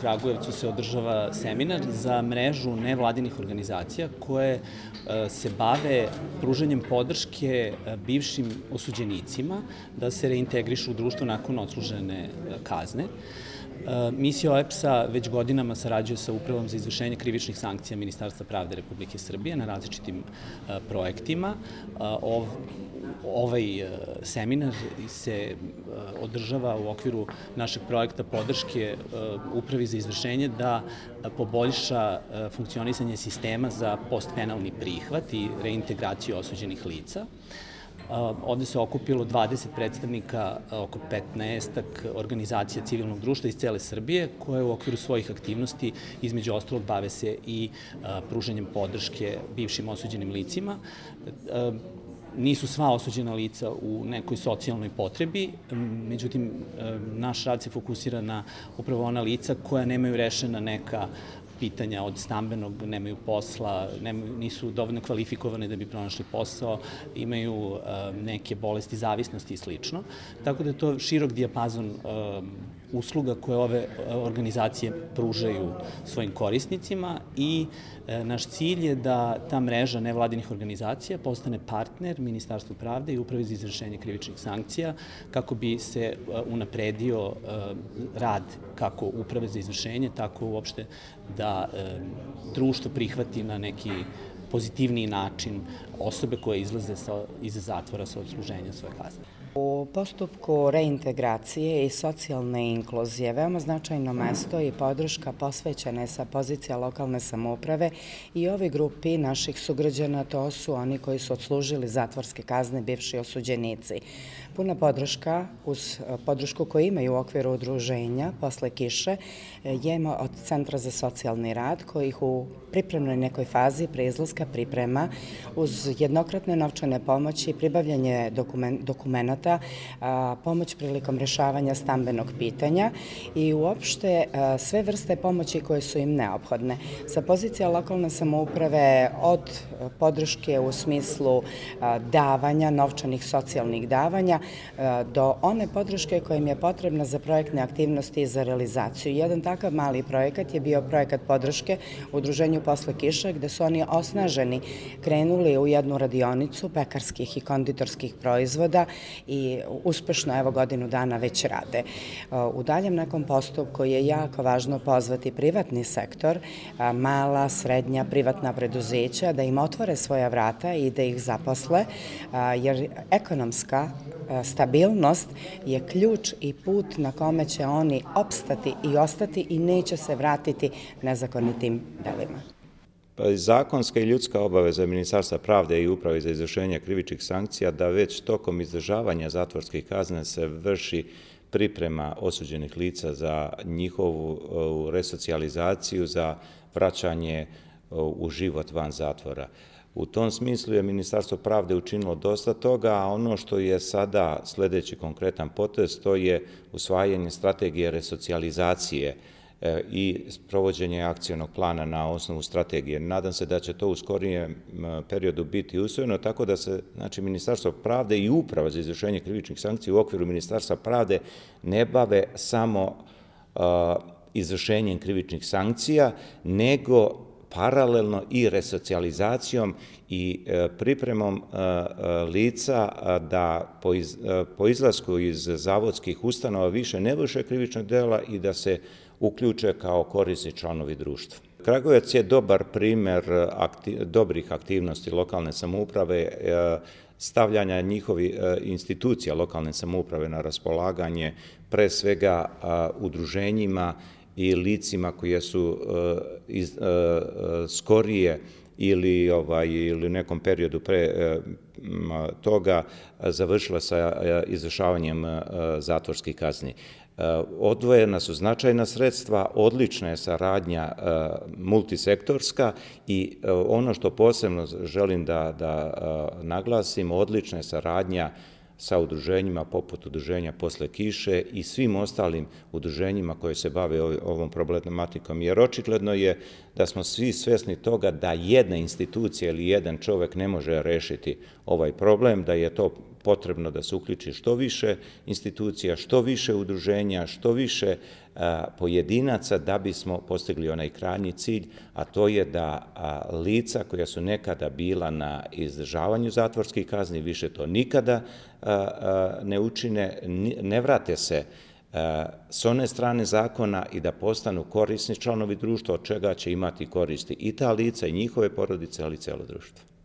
Kragujevcu se održava seminar za mrežu nevladinih organizacija koje se bave pružanjem podrške bivšim osuđenicima da se reintegrišu u društvo nakon odslužene kazne. Misija OEBS-a već godinama sarađuje sa Upravom za izvršenje krivičnih sankcija Ministarstva pravde Republike Srbije na različitim projektima. Ovaj seminar se održava u okviru našeg projekta podrške Upravi za izvršenje da poboljša funkcionisanje sistema za postpenalni prihvat i reintegraciju osuđenih lica. Ovde se okupilo 20 predstavnika, oko 15 organizacija civilnog društva iz cele Srbije, koje u okviru svojih aktivnosti, između ostalog, bave se i pružanjem podrške bivšim osuđenim licima. Nisu sva osuđena lica u nekoj socijalnoj potrebi, međutim, naš rad se fokusira na upravo ona lica koja nemaju rešena neka pitanja od stambenog, nemaju posla, nisu dovoljno kvalifikovane da bi pronašli posao, imaju neke bolesti, zavisnosti i slično. Tako da je to širok dijapazon usluga koje ove organizacije pružaju svojim korisnicima i naš cilj je da ta mreža nevladinih organizacija postane partner Ministarstvu pravde i Upravi za izvršenje krivičnih sankcija kako bi se unapredio rad kako Uprave za izvršenje, tako uopšte da društvo prihvati na neki pozitivniji način osobe koje izlaze iz zatvora sa odsluženja svoje kazne. U postupku reintegracije i socijalne inkluzije veoma značajno mesto i podrška posvećena je sa pozicija lokalne samouprave i ovoj grupi naših sugrađana, to su oni koji su odslužili zatvorske kazne, bivši osuđenici. Puna podrška, uz podršku koju imaju u okviru udruženja posle kiše, je od Centra za socijalni rad koji ih u pripremnoj nekoj fazi pre izlaska priprema uz jednokratne novčane pomoći, pribavljanje dokumenata, pomoć prilikom rešavanja stambenog pitanja i uopšte sve vrste pomoći koje su im neophodne. Sa pozicija lokalne samouprave od podrške u smislu davanja, novčanih socijalnih davanja, do one podrške koja im je potrebna za projektne aktivnosti i za realizaciju. Jedan takav mali projekat je bio projekat podrške udruženju posle kiše, gde su oni osnaženi krenuli u jednu radionicu pekarskih i konditorskih proizvoda i uspešno evo godinu dana već rade. U daljem nekom postupku je jako važno pozvati privatni sektor, mala, srednja, privatna preduzeća da im otvore svoja vrata i da ih zaposle, jer ekonomska stabilnost je ključ i put na kome će oni opstati i ostati i neće se vratiti nezakonitim delima. Zakonska i ljudska obaveza Ministarstva pravde i Uprave za izvršenje krivičnih sankcija da već tokom izdržavanja zatvorskih kazne se vrši priprema osuđenih lica za njihovu resocijalizaciju, za vraćanje u život van zatvora. U tom smislu je Ministarstvo pravde učinilo dosta toga, a ono što je sada sledeći konkretan potez, to je usvajanje strategije resocijalizacije i provođenje akcionog plana na osnovu strategije. Nadam se da će to u skorijem periodu biti usvojeno, tako da se Ministarstvo pravde i Uprava za izvršenje krivičnih sankcija u okviru Ministarstva pravde ne bave samo izvršenjem krivičnih sankcija, nego paralelno i resocijalizacijom i pripremom lica da po izlasku iz zavodskih ustanova više ne vrše krivična dela i da se uključe kao korisni članovi društva. Kragujevac je dobar primer dobrih aktivnosti lokalne samouprave, stavljanja njihovih institucija lokalne samouprave na raspolaganje, pre svega udruženjima i licima koje su skorije ili u nekom periodu pre toga završila sa izvršavanjem zatvorskih kazni. Odvojena su značajna sredstva, odlična je saradnja multisektorska i ono što posebno želim da naglasim, odlična je saradnja sa udruženjima poput udruženja posle kiše i svim ostalim udruženjima koje se bave ovom problematikom, jer očigledno je da smo svi svesni toga da jedna institucija ili jedan čovek ne može rešiti ovaj problem, da je to potrebno da se uključi što više institucija, što više udruženja, što više pojedinaca da bismo postigli onaj krajnji cilj, a to je da lica koja su nekada bila na izdržavanju zatvorskih kazni više to nikada ne učine, ne vrate se s one strane zakona i da postanu korisni članovi društva, od čega će imati koristi i ta lica i njihove porodice, ali i celo društvo.